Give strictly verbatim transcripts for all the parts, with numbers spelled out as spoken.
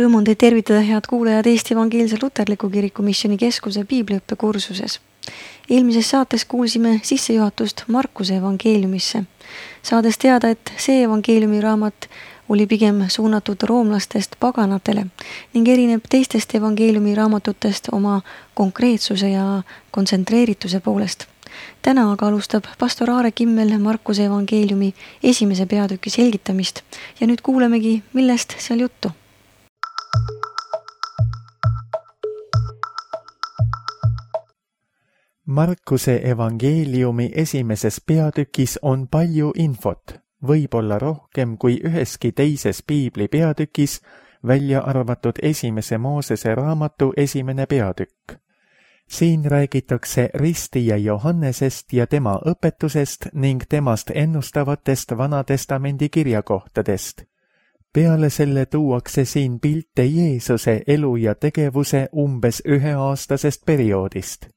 Rõõm on teid tervitada, head kuulajad, Eesti Evangeelse Luterliku Kiriku Missiooni Keskuse piibliõppe kursuses. Eelmises saates kuulsime sissejuhatust Markuse evangeeliumisse, saades teada, et see evangeeliumi raamat oli pigem suunatud roomlastest paganatele ning erineb teistest evangeeliumi raamatutest oma konkreetsuse ja kontsentreerituse poolest. Täna aga alustab pastor Aare Kimmel Markuse evangeeliumi esimese peatüki selgitamist ja nüüd kuulemegi, millest seal juttu. Markuse evangeeliumi esimeses peatükis on palju infot, võib-olla rohkem kui üheski teises piibli peatükis, välja arvatud esimese Moosese raamatu esimene peatükk. Siin räägitakse ristija Johannesest ja tema õpetusest ning temast ennustavatest Vanatestamendi kirjakohtadest. Peale selle tuuakse siin pilte Jeesuse elu ja tegevuse umbes üheaastasest perioodist.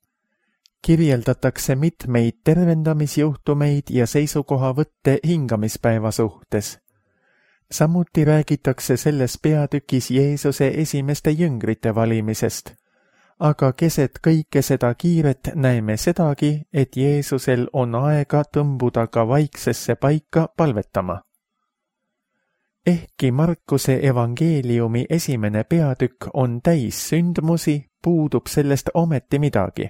Kirjeldatakse mitmeid tervendamisjuhtumeid ja seisukohavõtte hingamispäeva suhtes. Samuti räägitakse selles peatükis Jeesuse esimeste jüngrite valimisest. Aga keset kõike seda kiiret näeme sedagi, et Jeesusel on aega tõmbuda ka vaiksesse paika palvetama. Ehkki Markuse evangeeliumi esimene peatükk on täis sündmusi, puudub sellest ometi midagi.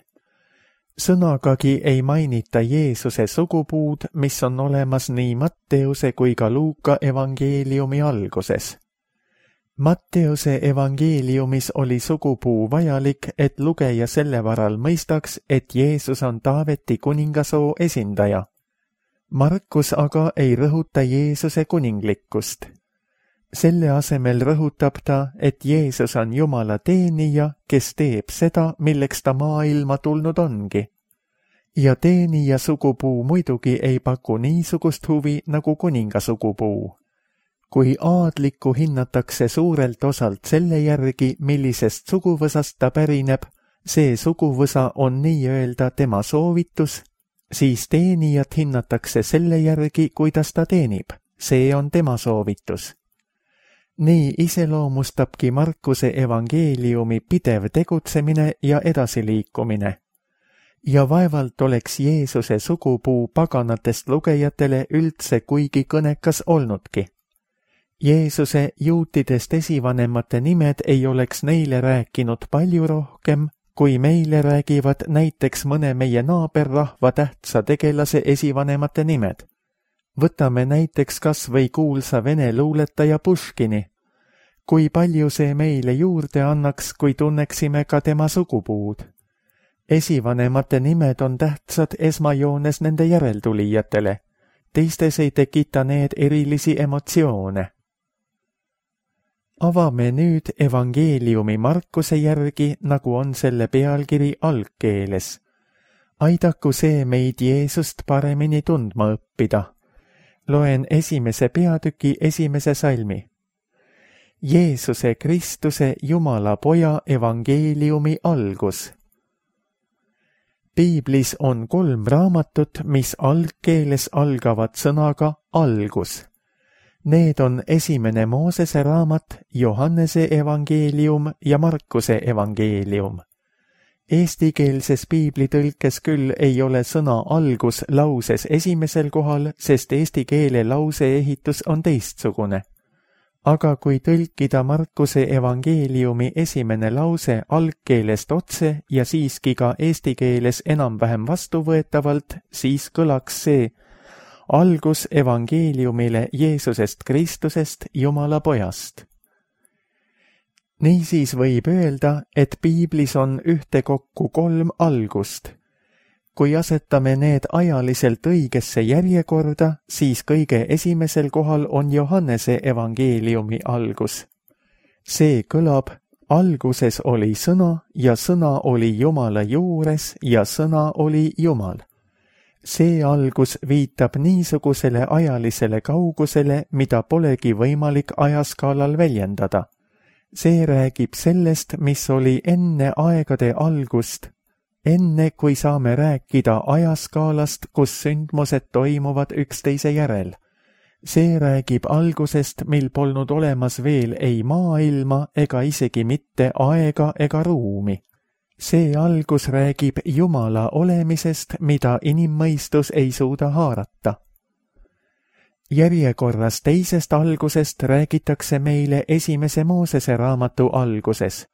Sõnagagi ei mainita Jeesuse sugupuud, mis on olemas nii Matteuse kui ka Luuka evangeeliumi alguses. Matteuse evangeeliumis oli sugupuu vajalik, et lugeja selle varal mõistaks, et Jeesus on Taaveti kuningasoo esindaja. Markus aga ei rõhuta Jeesuse kuninglikkust. Selle asemel rõhutab ta, et Jeesus on Jumala teenija, kes teeb seda, milleks ta maailma tulnud ongi. Ja teenija sugupuu muidugi ei paku niisugust huvi nagu kuninga sugupuu. Kui aadlikku hinnatakse suurelt osalt selle järgi, millisest suguvõsast ta pärineb, see suguvõsa on nii-öelda tema soovitus, siis teenijat hinnatakse selle järgi, kuidas ta teenib. See on tema soovitus. Nii iseloomustabki Markuse evangeeliumi pidev tegutsemine ja edasiliikumine. Ja vaevalt oleks Jeesuse sugupuu paganatest lugejatele üldse kuigi kõnekas olnudki. Jeesuse juutidest esivanemate nimed ei oleks neile rääkinud palju rohkem, kui meile räägivad näiteks mõne meie naaberrahva tähtsa tegelase esivanemate nimed. Võtame näiteks kas või kuulsa vene luuletaja Puškini. Kui palju see meile juurde annaks, kui tunneksime ka tema sugupuud? Esivanemate nimed on tähtsad esmajoones nende järeltulijatele. Teistes ei tekita need erilisi emotsioone. Avame nüüd evangeeliumi Markuse järgi, nagu on selle pealkiri algkeeles. Aidaku see meid Jeesust paremini tundma õppida. Loen esimese peatüki esimese salmi. Jeesuse Kristuse Jumala Poja evangeeliumi algus. Piiblis on kolm raamatut, mis algkeeles algavad sõnaga algus. Need on esimene Moosese raamat, Johannese evangeelium ja Markuse evangeelium. Eestikeelses piiblitõlkes küll ei ole sõna algus lauses esimesel kohal, sest eesti keele lauseehitus on teistsugune. Aga kui tõlkida Markuse evangeeliumi esimene lause algkeelest otse ja siiski ka eesti keeles enam-vähem vastuvõetavalt, siis kõlaks see algus evangeeliumile Jeesusest Kristusest, Jumala Pojast. Niisiis võib öelda, et piiblis on ühtekokku kolm algust. Kui asetame need ajaliselt õigesse järjekorda, siis kõige esimesel kohal on Johannese evangeeliumi algus. See kõlab, alguses oli sõna ja sõna oli Jumala juures ja sõna oli Jumal. See algus viitab niisugusele ajalisele kaugusele, mida polegi võimalik ajaskaalal väljendada. See räägib sellest, mis oli enne aegade algust, enne kui saame rääkida ajaskaalast, kus sündmused toimuvad üksteise järel. see räägib algusest, mil polnud olemas veel ei maailma ega isegi mitte aega ega ruumi. See algus räägib Jumala olemisest, mida inimmõistus ei suuda haarata. Järjekorras teisest algusest räägitakse meile esimese Moosese raamatu alguses.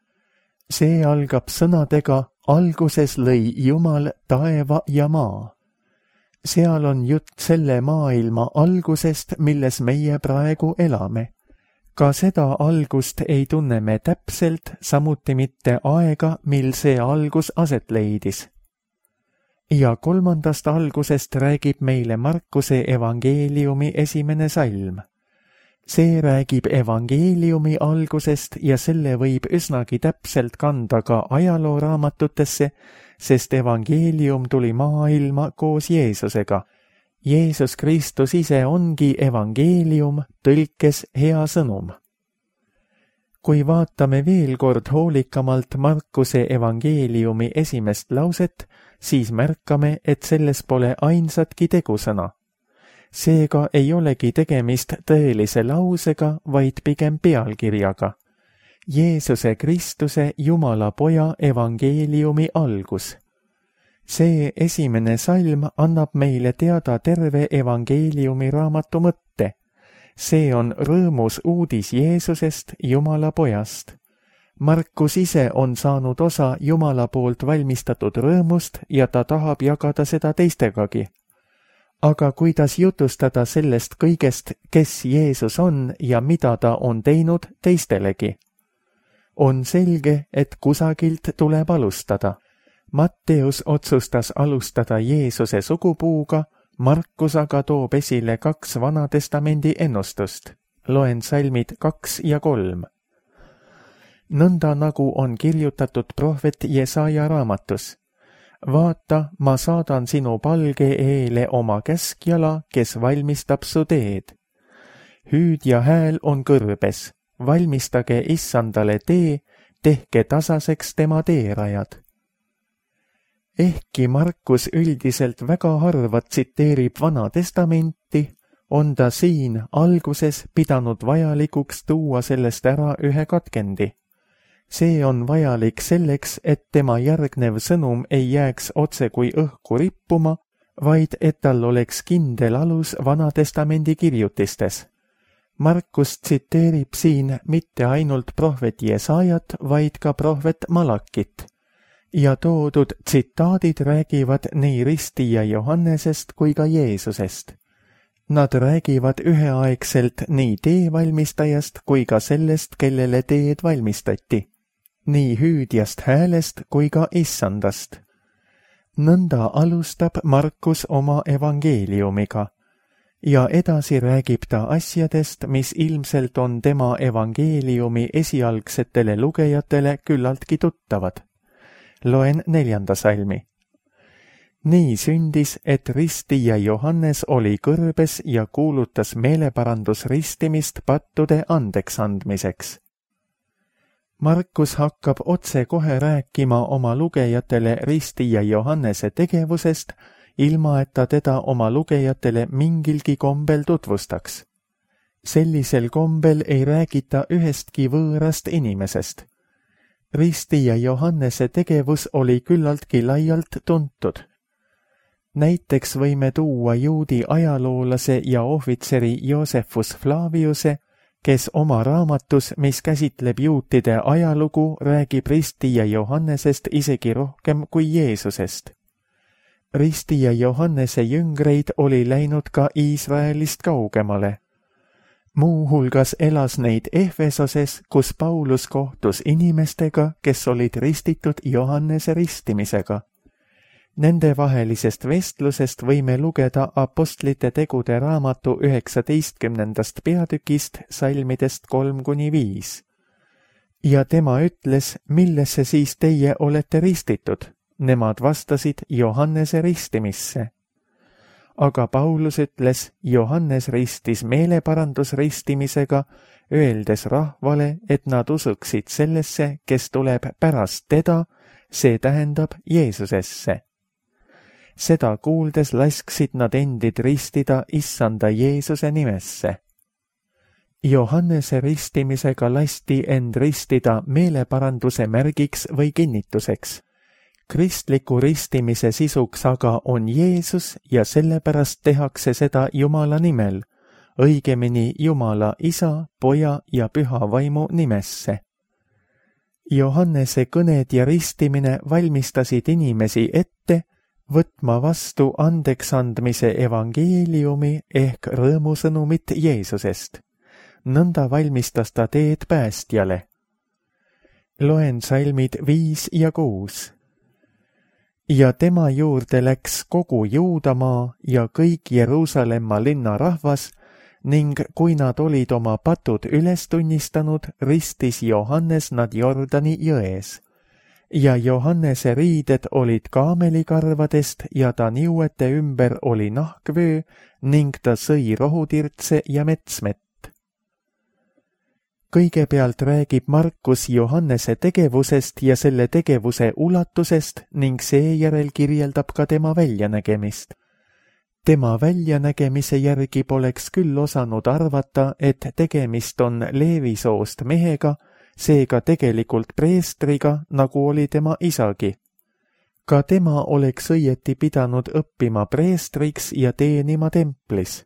See algab sõnadega alguses lõi Jumal taeva ja maa. Seal on jutt selle maailma algusest, milles meie praegu elame. Ka seda algust ei tunne me täpselt, samuti mitte aega, mil see algus aset leidis. Ja kolmandast algusest räägib meile Markuse evangeeliumi esimene salm. See räägib evangeeliumi algusest ja selle võib üsnagi täpselt kanda ka ajalooraamatutesse, sest evangeelium tuli maailma koos Jeesusega. Jeesus Kristus ise ongi evangeelium, tõlkes hea sõnum. Kui vaatame veel kord hoolikamalt Markuse evangeeliumi esimest lauset, siis märkame, et selles pole ainsatki tegusõna. Seega ei olegi tegemist tõelise lausega, vaid pigem pealkirjaga. Jeesuse Kristuse Jumala poja evangeeliumi algus. See esimene salm annab meile teada terve evangeeliumi raamatu mõtte. See on rõõmus uudis Jeesusest, Jumala pojast. Markus ise on saanud osa Jumala poolt valmistatud rõõmust ja ta tahab jagada seda teistegagi. Aga kuidas jutustada sellest kõigest, kes Jeesus on ja mida ta on teinud teistelegi? On selge, et kusagilt tuleb alustada. Matteus otsustas alustada Jeesuse sugupuuga, Markus aga toob esile kaks Vanatestamendi ennustust. Loen salmid kaks ja kolm. Nõnda nagu on kirjutatud prohvet Jesaja raamatus. Vaata, ma saadan sinu palge eele oma käskjala, kes valmistab su teed. Hüüd ja hääl on kõrbes, valmistage issandale tee, tehke tasaseks tema teerajad. Ehkki Markus üldiselt väga harva tsiteerib Vana Testamenti, on ta siin alguses pidanud vajalikuks tuua sellest ära ühe katkendi. See on vajalik selleks, et tema järgnev sõnum ei jääks otse kui õhku rippuma, vaid et tal oleks kindel alus Vana Testamendi kirjutistes. Markus tsiteerib siin mitte ainult prohvet Jesajat, vaid ka prohvet Malakit. Ja toodud tsitaadid räägivad nii ristija Johannesest kui ka Jeesusest. Nad räägivad üheaegselt nii teevalmistajast kui ka sellest, kellele teed valmistati. Nii hüüdjast häälest kui ka issandast. Nõnda alustab Markus oma evangeeliumiga ja edasi räägib ta asjadest, mis ilmselt on tema evangeeliumi esialgsetele lugejatele küllaltki tuttavad. Loen neljanda salmi. Nii sündis, et ristija Johannes oli kõrbes ja kuulutas meeleparandusristimist pattude andeks andmiseks. Markus hakkab otse kohe rääkima oma lugejatele ristija Johannese tegevusest, ilma et ta teda oma lugejatele mingilgi kombel tutvustaks. Sellisel kombel ei räägita ühestki võõrast inimesest. Ristija Johannese tegevus oli küllaltki laialt tuntud. Näiteks võime tuua juudi ajaloolase ja ohvitseri Josephus Flaviuse, kes oma raamatus, mis käsitleb juutide ajalugu, räägib ristija Johannesest isegi rohkem kui Jeesusest. Ristija Johannese jüngreid oli läinud ka Iisraelist kaugemale. Muuhulgas elas neid Efesoses, kus Paulus kohtus inimestega, kes olid ristitud Johannese ristimisega. Nende vahelisest vestlusest võime lugeda Apostlite tegude raamatu üheksateistkümnendast peatükist salmidest kolm kuni viis. Ja tema ütles, millesse siis teie olete ristitud? Nemad vastasid Johannese ristimisse. Aga Paulus ütles, Johannes ristis meeleparandusristimisega, öeldes rahvale, et nad usuksid sellesse, kes tuleb pärast teda, see tähendab Jeesusesse. Seda kuuldes lasksid nad endid ristida issanda Jeesuse nimesse. Johannese ristimisega lasti end ristida meeleparanduse märgiks või kinnituseks. Kristliku ristimise sisuks aga on Jeesus ja sellepärast tehakse seda Jumala nimel, õigemini Jumala Isa, Poja ja Püha Vaimu nimesse. Johannese kõned ja ristimine valmistasid inimesi ette võtma vastu andeksandmise evangeeliumi ehk rõõmusõnumit Jeesusest. Nõnda valmistas ta teed päästjale. Loen salmid viis ja kuus. Ja tema juurde läks kogu Juudamaa ja kõik Jeruusalemma linna rahvas ning kui nad olid oma patud üles tunnistanud, ristis Johannes nad Jordani jões. Ja Johannese riided olid kaamelikarvadest ja ta niuete ümber oli nahkvöö ning ta sõi rohutirtse ja metsmet. Kõigepealt räägib Markus Johannese tegevusest ja selle tegevuse ulatusest ning seejärel kirjeldab ka tema väljanägemist. Tema väljanägemise järgi poleks küll osanud arvata, et tegemist on Leevisoost mehega, seega tegelikult preestriga, nagu oli tema isagi. Ka tema oleks õieti pidanud õppima preestriks ja teenima templis.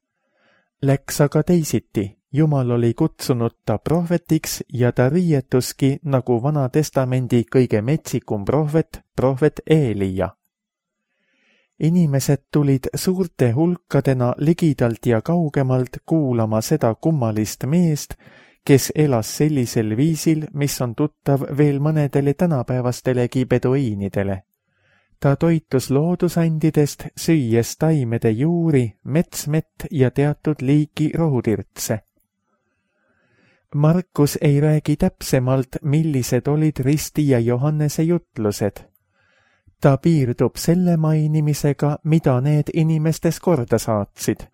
Läks aga teisiti. Jumal oli kutsunud ta prohvetiks ja ta riietuski nagu Vana Testamendi kõige metsikum prohvet, prohvet Eelia. Inimesed tulid suurte hulkadena ligidalt ja kaugemalt kuulama seda kummalist meest, kes elas sellisel viisil, mis on tuttav veel mõnedele tänapäevastelegi beduiinidele. Ta toitus loodusandidest, süües taimede juuri, metsmett ja teatud liiki rohutirtse. Markus ei räägi täpsemalt, millised olid ristija Johannese jutlused. Ta piirdub selle mainimisega, mida need inimestes korda saatsid.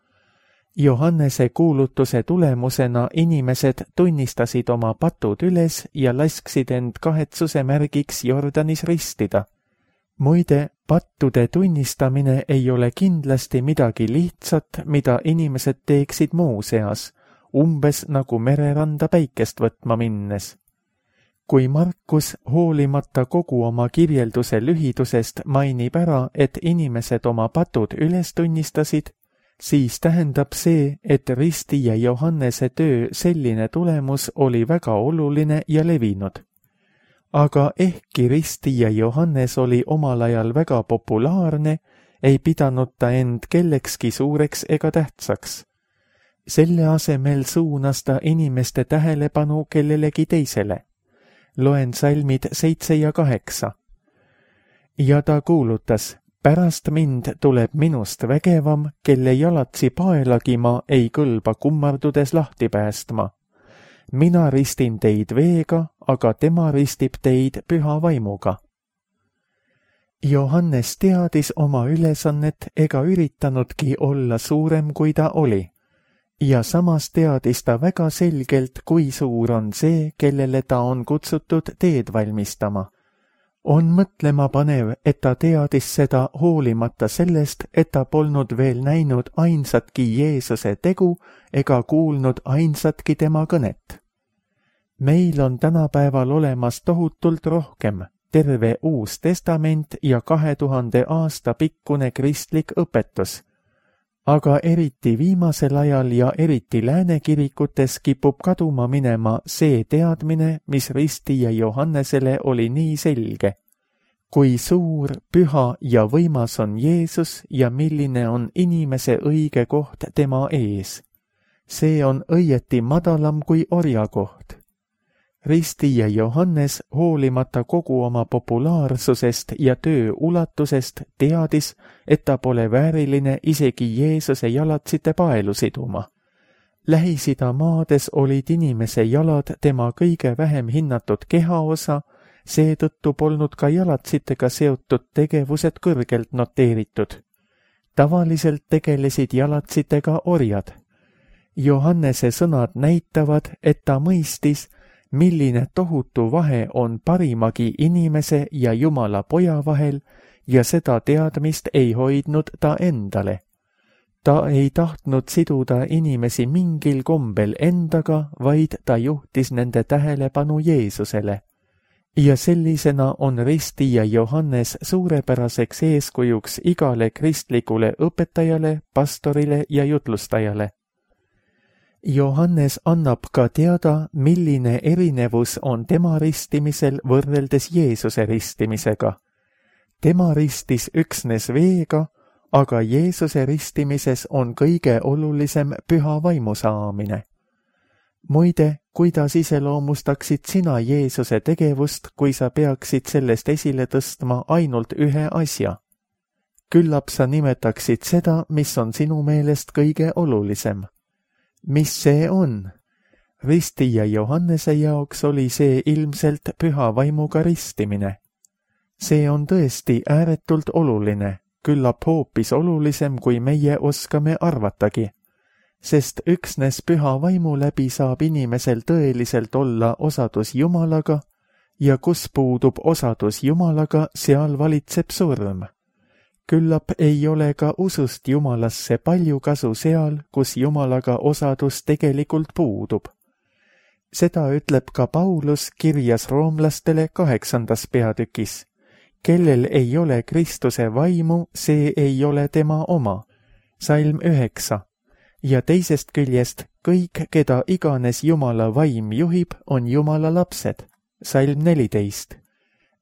Johannese kuulutuse tulemusena inimesed tunnistasid oma patud üles ja lasksid end kahetsuse märgiks Jordanis ristida. Muide, pattude tunnistamine ei ole kindlasti midagi lihtsat, mida inimesed teeksid muu seas, umbes nagu mereranda päikest võtma minnes. Kui Markus hoolimata kogu oma kirjelduse lühidusest mainib ära, et inimesed oma patud üles tunnistasid, siis tähendab see, et ristija Johannese töö selline tulemus oli väga oluline ja levinud. Aga ehkki ristija Johannes oli omal ajal väga populaarne, ei pidanud ta end kellekski suureks ega tähtsaks. Selle asemel suunas ta inimeste tähelepanu kellelegi teisele. Loen salmid seitse ja kaheksa. Ja ta kuulutas, pärast mind tuleb minust vägevam, kelle jalatsi paelagi ma ei kõlba kummardudes lahti päästma. Mina ristin teid veega, aga tema ristib teid püha vaimuga. Johannes teadis oma ülesannet ega üritanudki olla suurem, kui ta oli. Ja samas teadis ta väga selgelt, kui suur on see, kellele ta on kutsutud teed valmistama. On mõtlema panev, et ta teadis seda hoolimata sellest, et ta polnud veel näinud ainsatki Jeesuse tegu ega kuulnud ainsatki tema kõnet. Meil on tänapäeval olemas tohutult rohkem, terve Uus Testament ja kahe tuhande aasta pikkune kristlik õpetus. Aga eriti viimasel ajal ja eriti lääne kirikutes kipub kaduma minema see teadmine, mis ristija Johannesele oli nii selge. Kui suur, püha ja võimas on Jeesus ja milline on inimese õige koht tema ees. See on õieti madalam kui orja koht. Ristija Johannes, hoolimata kogu oma populaarsusest ja töö ulatusest, teadis, et ta pole vääriline isegi Jeesuse jalatsite paelu siduma. Lähis-Ida maades olid inimese jalad tema kõige vähem hinnatud kehaosa, seetõttu polnud ka jalatsitega seotud tegevused kõrgelt noteeritud. Tavaliselt tegelesid jalatsitega orjad. Johannese sõnad näitavad, et ta mõistis, milline tohutu vahe on parimagi inimese ja Jumala poja vahel ja seda teadmist ei hoidnud ta endale. Ta ei tahtnud siduda inimesi mingil kombel endaga, vaid ta juhtis nende tähelepanu Jeesusele. Ja sellisena on ristija Johannes suurepäraseks eeskujuks igale kristlikule õpetajale, pastorile ja jutlustajale. Johannes annab ka teada, milline erinevus on tema ristimisel võrreldes Jeesuse ristimisega. Tema ristis üksnes veega, aga Jeesuse ristimises on kõige olulisem püha vaimu saamine. Muide, kuidas iseloomustaksid sina Jeesuse tegevust, kui sa peaksid sellest esile tõstma ainult ühe asja? Küllap sa nimetaksid seda, mis on sinu meelest kõige olulisem. Mis see on? Ristija Johannese jaoks oli see ilmselt püha vaimuga ristimine. See on tõesti ääretult oluline, küllap hoopis olulisem, kui meie oskame arvatagi. Sest üksnes püha vaimu läbi saab inimesel tõeliselt olla osadus Jumalaga ja kus puudub osadus Jumalaga, seal valitseb surm. Küllap ei ole ka usust Jumalasse palju kasu seal, kus Jumalaga osadus tegelikult puudub. Seda ütleb ka Paulus kirjas roomlastele kaheksandas peatükis. Kellel ei ole Kristuse vaimu, see ei ole tema oma. Salm üheksa. Ja teisest küljest kõik, keda iganes Jumala vaim juhib, on Jumala lapsed. Salm neliteist.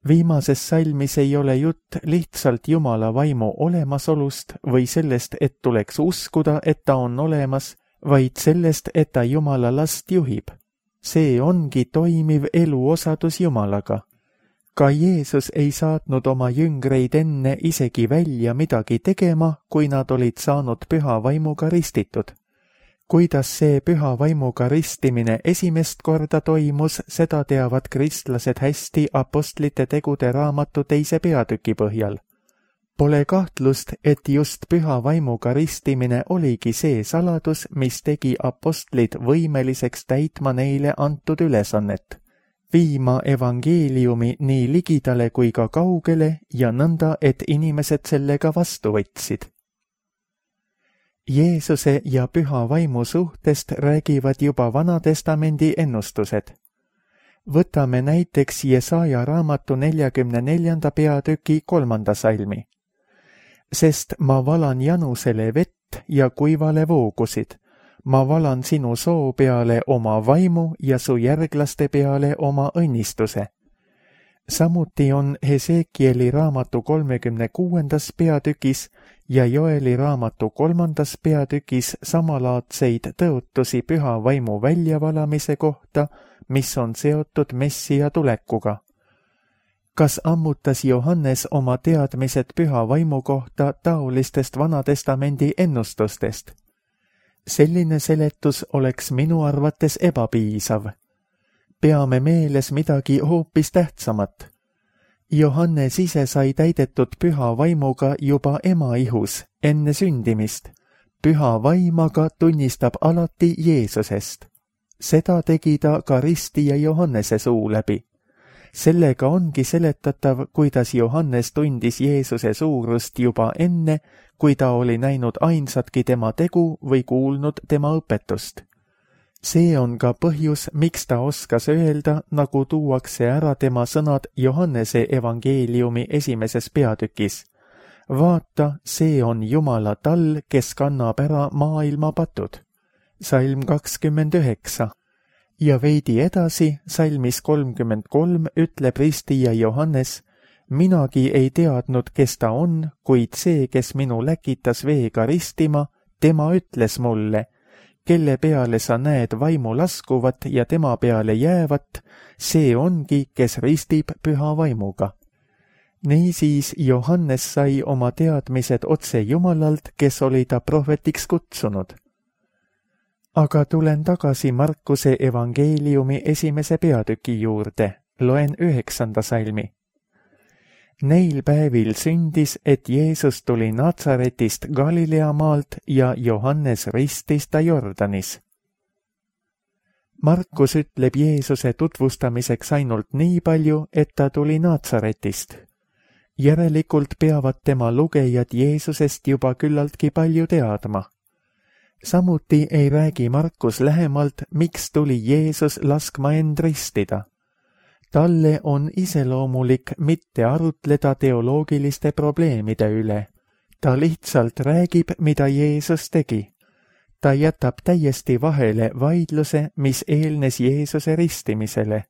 Viimases salmis ei ole jutt lihtsalt Jumala vaimu olemasolust või sellest, et tuleks uskuda, et ta on olemas, vaid sellest, et ta Jumala last juhib. See ongi toimiv eluosadus Jumalaga. Ka Jeesus ei saatnud oma jüngreid enne isegi välja midagi tegema, kui nad olid saanud püha vaimuga ristitud. Kuidas see püha vaimuga ristimine esimest korda toimus, seda teavad kristlased hästi apostlite tegude raamatu teise peatüki põhjal. Pole kahtlust, et just püha vaimuga ristimine oligi see saladus, mis tegi apostlid võimeliseks täitma neile antud ülesannet. Viima evangeeliumi nii ligidale kui ka kaugele ja nõnda, et inimesed sellega vastu võtsid. Jeesuse ja püha vaimu suhtest räägivad juba Vanatestamendi ennustused. Võtame näiteks Jesaja raamatu neljakümne neljanda peatüki kolmanda salmi. Sest ma valan janusele vett ja kuivale voogusid. Ma valan sinu soo peale oma vaimu ja su järglaste peale oma õnnistuse. Samuti on Hesekieli raamatu kolmekümne kuuendas peatükis ja Joeli raamatu kolmandas peatükis samalaadseid tõotusi püha vaimu väljavalamise kohta, mis on seotud Messia tulekuga. Kas ammutas Johannes oma teadmised püha vaimu kohta taolistest Vanatestamendi ennustustest? Selline seletus oleks minu arvates ebapiisav. Peame meeles midagi hoopis tähtsamat. Johannes ise sai täidetud püha vaimuga juba ema ihus, enne sündimist. Püha vaim aga tunnistab alati Jeesusest. Seda tegi ta ka ristija Johannese suu läbi. Sellega ongi seletatav, kuidas Johannes tundis Jeesuse suurust juba enne, kui ta oli näinud ainsatki tema tegu või kuulnud tema õpetust. See on ka põhjus, miks ta oskas öelda, nagu tuuakse ära tema sõnad Johannese evangeeliumi esimeses peatükis. Vaata, see on Jumala tall, kes kannab ära maailma patud. Salm kakskümmend üheksa. Ja veidi edasi, salmis kolmkümmend kolm, ütleb ristija Johannes, minagi ei teadnud, kes ta on, kuid see, kes minu läkitas veega ristima, tema ütles mulle, kelle peale sa näed vaimu laskuvat ja tema peale jäävat, see ongi, kes ristib püha vaimuga. Niisiis Johannes sai oma teadmised otse Jumalalt, kes oli ta prohvetiks kutsunud. Aga tulen tagasi Markuse evangeeliumi esimese peatüki juurde, loen üheksanda salmi. Neil päevil sündis, et Jeesus tuli Natsaretist Galilea maalt ja Johannes ristis ta Jordanis. Markus ütleb Jeesuse tutvustamiseks ainult nii palju, et ta tuli Natsaretist. Järelikult peavad tema lugejad Jeesusest juba küllaltki palju teadma. Samuti ei räägi Markus lähemalt, miks tuli Jeesus laskma end ristida. Talle on iseloomulik mitte arutleda teoloogiliste probleemide üle. Ta lihtsalt räägib, mida Jeesus tegi. Ta jätab täiesti vahele vaidluse, mis eelnes Jeesuse ristimisele.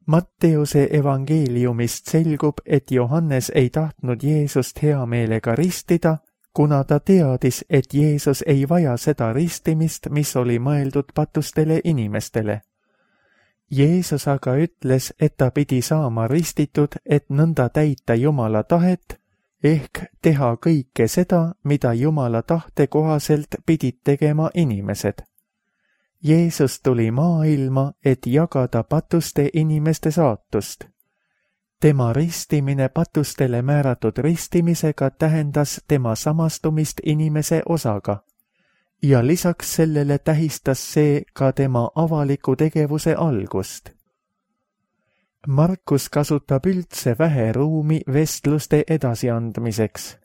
Matteuse evangeeliumist selgub, et Johannes ei tahtnud Jeesust hea meelega ristida, kuna ta teadis, et Jeesus ei vaja seda ristimist, mis oli mõeldud patustele inimestele. Jeesus aga ütles, et ta pidi saama ristitud, et nõnda täita Jumala tahet, ehk teha kõike seda, mida Jumala tahte kohaselt pidid tegema inimesed. Jeesus tuli maailma, et jagada patuste inimeste saatust. Tema ristimine patustele määratud ristimisega tähendas tema samastumist inimese osaga. Ja lisaks sellele tähistas see ka tema avaliku tegevuse algust. Markus kasutab üldse vähe ruumi vestluste edasiandmiseks.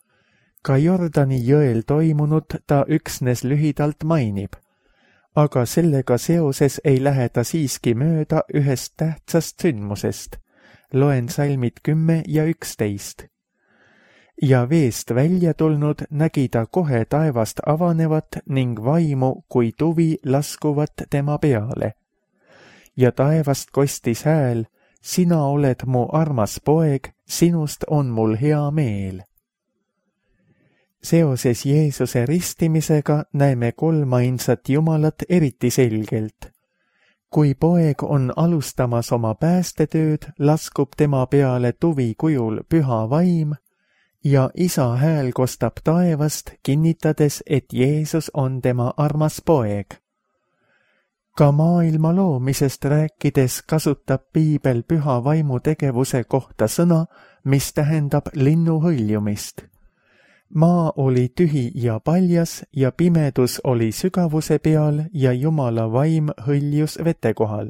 Ka Jordani jõel toimunut ta üksnes lühidalt mainib, aga sellega seoses ei lähe ta siiski mööda ühest tähtsast sündmusest. Loen salmid kümme ja üksteist. Ja veest välja tulnud nägi ta kohe taevast avanevat ning vaimu kui tuvi laskuvat tema peale. Ja taevast kostis hääl, sina oled mu armas poeg, sinust on mul hea meel. Seoses Jeesuse ristimisega näeme kolmainsat Jumalat eriti selgelt. Kui poeg on alustamas oma päästetööd, laskub tema peale tuvi kujul püha vaim, ja isa hääl kostab taevast, kinnitades, et Jeesus on tema armas poeg. Ka maailma loomisest rääkides kasutab Piibel püha vaimu tegevuse kohta sõna, mis tähendab linnu hõljumist. Maa oli tühi ja paljas ja pimedus oli sügavuse peal ja Jumala vaim hõljus vete kohal.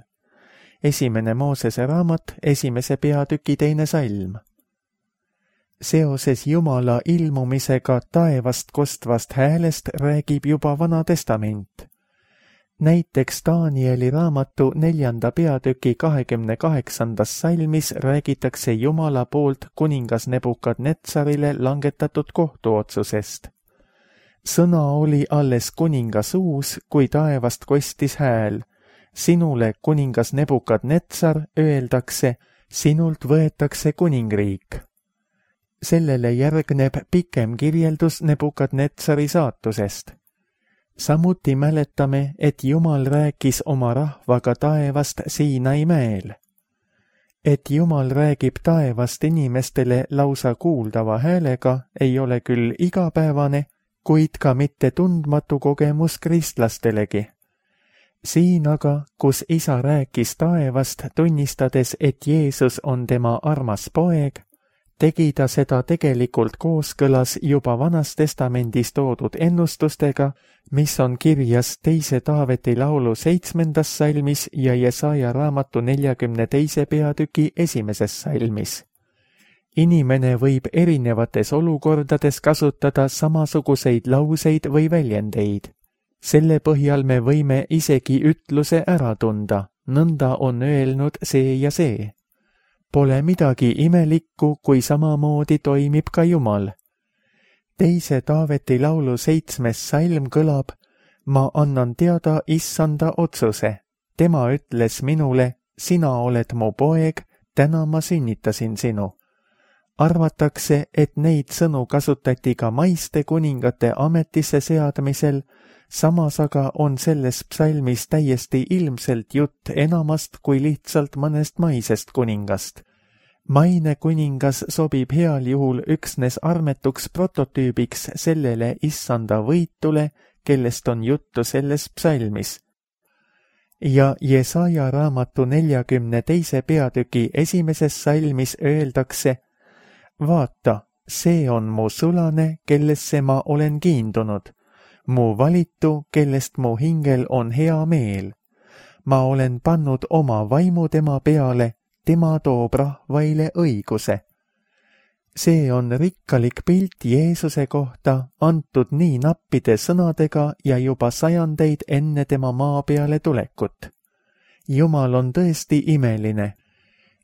Esimene Moosese raamat, esimese peatüki teine salm. Seoses Jumala ilmumisega taevast kostvast häälest räägib juba Vana Testament. Näiteks Danieli raamatu neljanda peatüki kahekümne kaheksandas salmis räägitakse Jumala poolt kuningas Nebukadnetsarile langetatud kohtuotsusest. Sõna oli alles kuninga suus, kui taevast kostis hääl. Sinule, kuningas Nebukadnetsar, öeldakse, sinult võetakse kuningriik. Sellele järgneb pikem kirjeldus Nebukadnetsari saatusest. Samuti mäletame, et Jumal rääkis oma rahvaga taevast Siinai mäel. Et Jumal räägib taevast inimestele lausa kuuldava häälega, ei ole küll igapäevane, kuid ka mitte tundmatu kogemus kristlastelegi. Siin aga, kus isa rääkis taevast, tunnistades, et Jeesus on tema armas poeg, tegi ta seda tegelikult kooskõlas juba Vanas Testamendis toodud ennustustega, mis on kirjas teise Taaveti laulu seitsmendas salmis ja Jesaja raamatu neljakümne teise peatüki esimeses salmis. Inimene võib erinevates olukordades kasutada samasuguseid lauseid või väljendeid. Selle põhjal me võime isegi ütluse ära tunda, nõnda on öelnud see ja see. Pole midagi imelikku, kui samamoodi toimib ka Jumal. Teise Taaveti laulu seitsmes salm kõlab, ma annan teada issanda otsuse. Tema ütles minule, sina oled mu poeg, täna ma sünnitasin sinu. Arvatakse, et neid sõnu kasutati ka maiste kuningate ametisse seadmisel, samas aga on selles psalmis täiesti ilmselt jutt enamast kui lihtsalt mõnest maisest kuningast. Maine kuningas sobib heal juhul üksnes armetuks prototüübiks sellele issanda võitule, kellest on juttu selles psalmis. Ja Jesaja raamatu neljakümne teise peatüki esimeses salmis öeldakse, vaata, see on mu sulane, kellesse ma olen kiindunud. Mu valitu, kellest mu hingel on hea meel. Ma olen pannud oma vaimu tema peale, tema toob rahvaile õiguse. see on rikkalik pilt Jeesuse kohta, antud nii nappide sõnadega ja juba sajandeid enne tema maa peale tulekut. Jumal on tõesti imeline.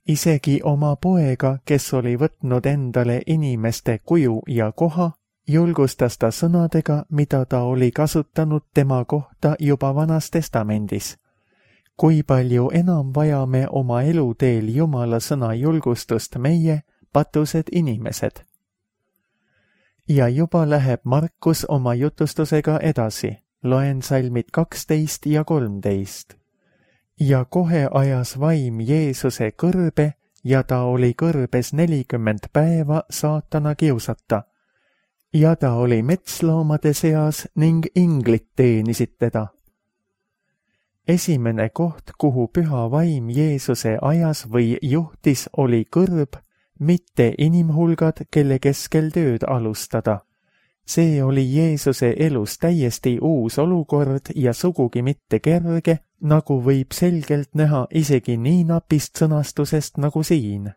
Isegi oma poega, kes oli võtnud endale inimeste kuju ja koha, julgustas ta sõnadega, mida ta oli kasutanud tema kohta juba Vanas Testamendis. Kui palju enam vajame oma eluteel Jumala sõna julgustust meie, patused inimesed. Ja juba läheb Markus oma jutustusega edasi. Loen salmid kaksteist ja kolmteist. Ja kohe ajas vaim Jeesuse kõrbe ja ta oli kõrbes nelikümmend päeva saatana kiusata. Ja ta oli metsloomade seas ning inglid teenisid teda. Esimene koht, kuhu püha vaim Jeesuse ajas või juhtis, oli kõrb, mitte inimhulgad, kelle keskel tööd alustada. See oli Jeesuse elus täiesti uus olukord ja sugugi mitte kerge, nagu võib selgelt näha isegi nii napist sõnastusest nagu siin.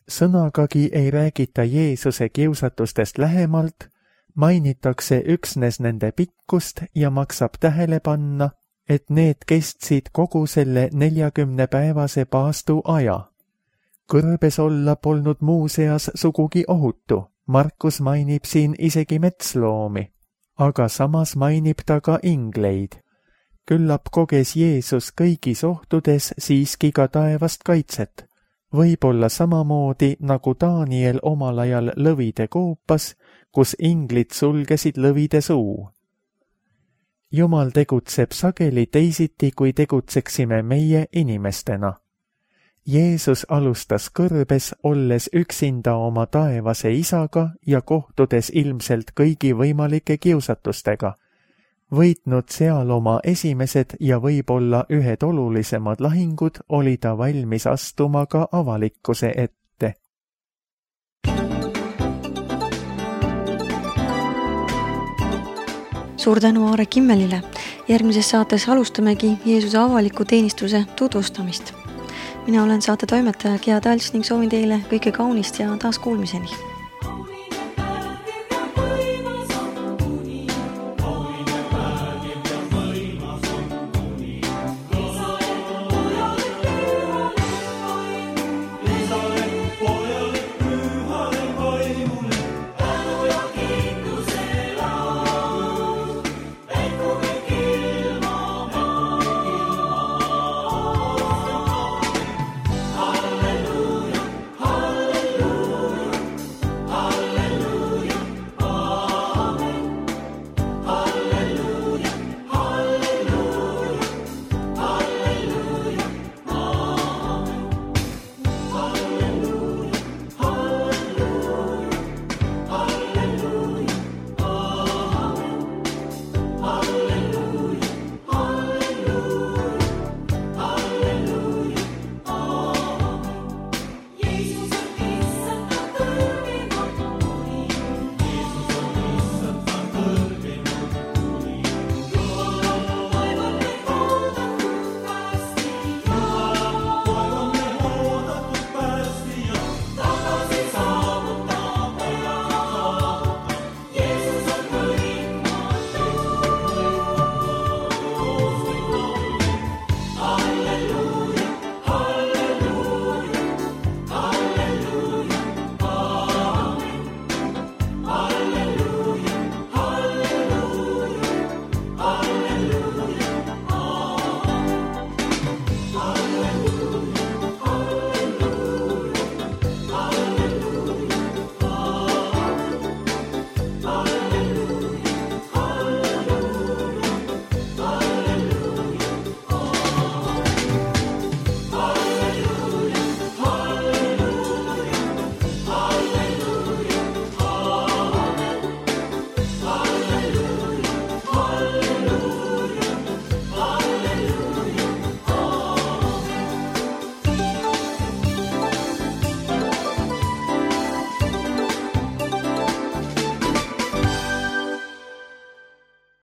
Sõnagagi ei räägita Jeesuse kiusatustest lähemalt, mainitakse üksnes nende pikkust ja maksab tähele panna, et need kestsid kogu selle neljakümne päevase paastu aja. Kõrbes olla polnud muuseas sugugi ohutu. Markus mainib siin isegi metsloomi, aga samas mainib ta ka ingleid. Küllap koges Jeesus kõigis ohtudes siiski ka taevast kaitset, võib-olla samamoodi nagu Daniel omal ajal lõvide koopas, kus inglid sulgesid lõvide suu. Jumal tegutseb sageli teisiti, kui tegutseksime meie inimestena. Jeesus alustas kõrbes, olles üksinda oma taevase isaga ja kohtudes ilmselt kõigi võimalike kiusatustega. Võitnud seal oma esimesed ja võib-olla ühed olulisemad lahingud, oli ta valmis astuma ka avalikkuse ette. Suur tänu Aare Kimmelile. Järgmises saates alustamegi Jeesuse avaliku teenistuse tutvustamist. Mina olen saate toimetaja Gea Talts ning soovin teile kõike kaunist ja taas kuulmiseni.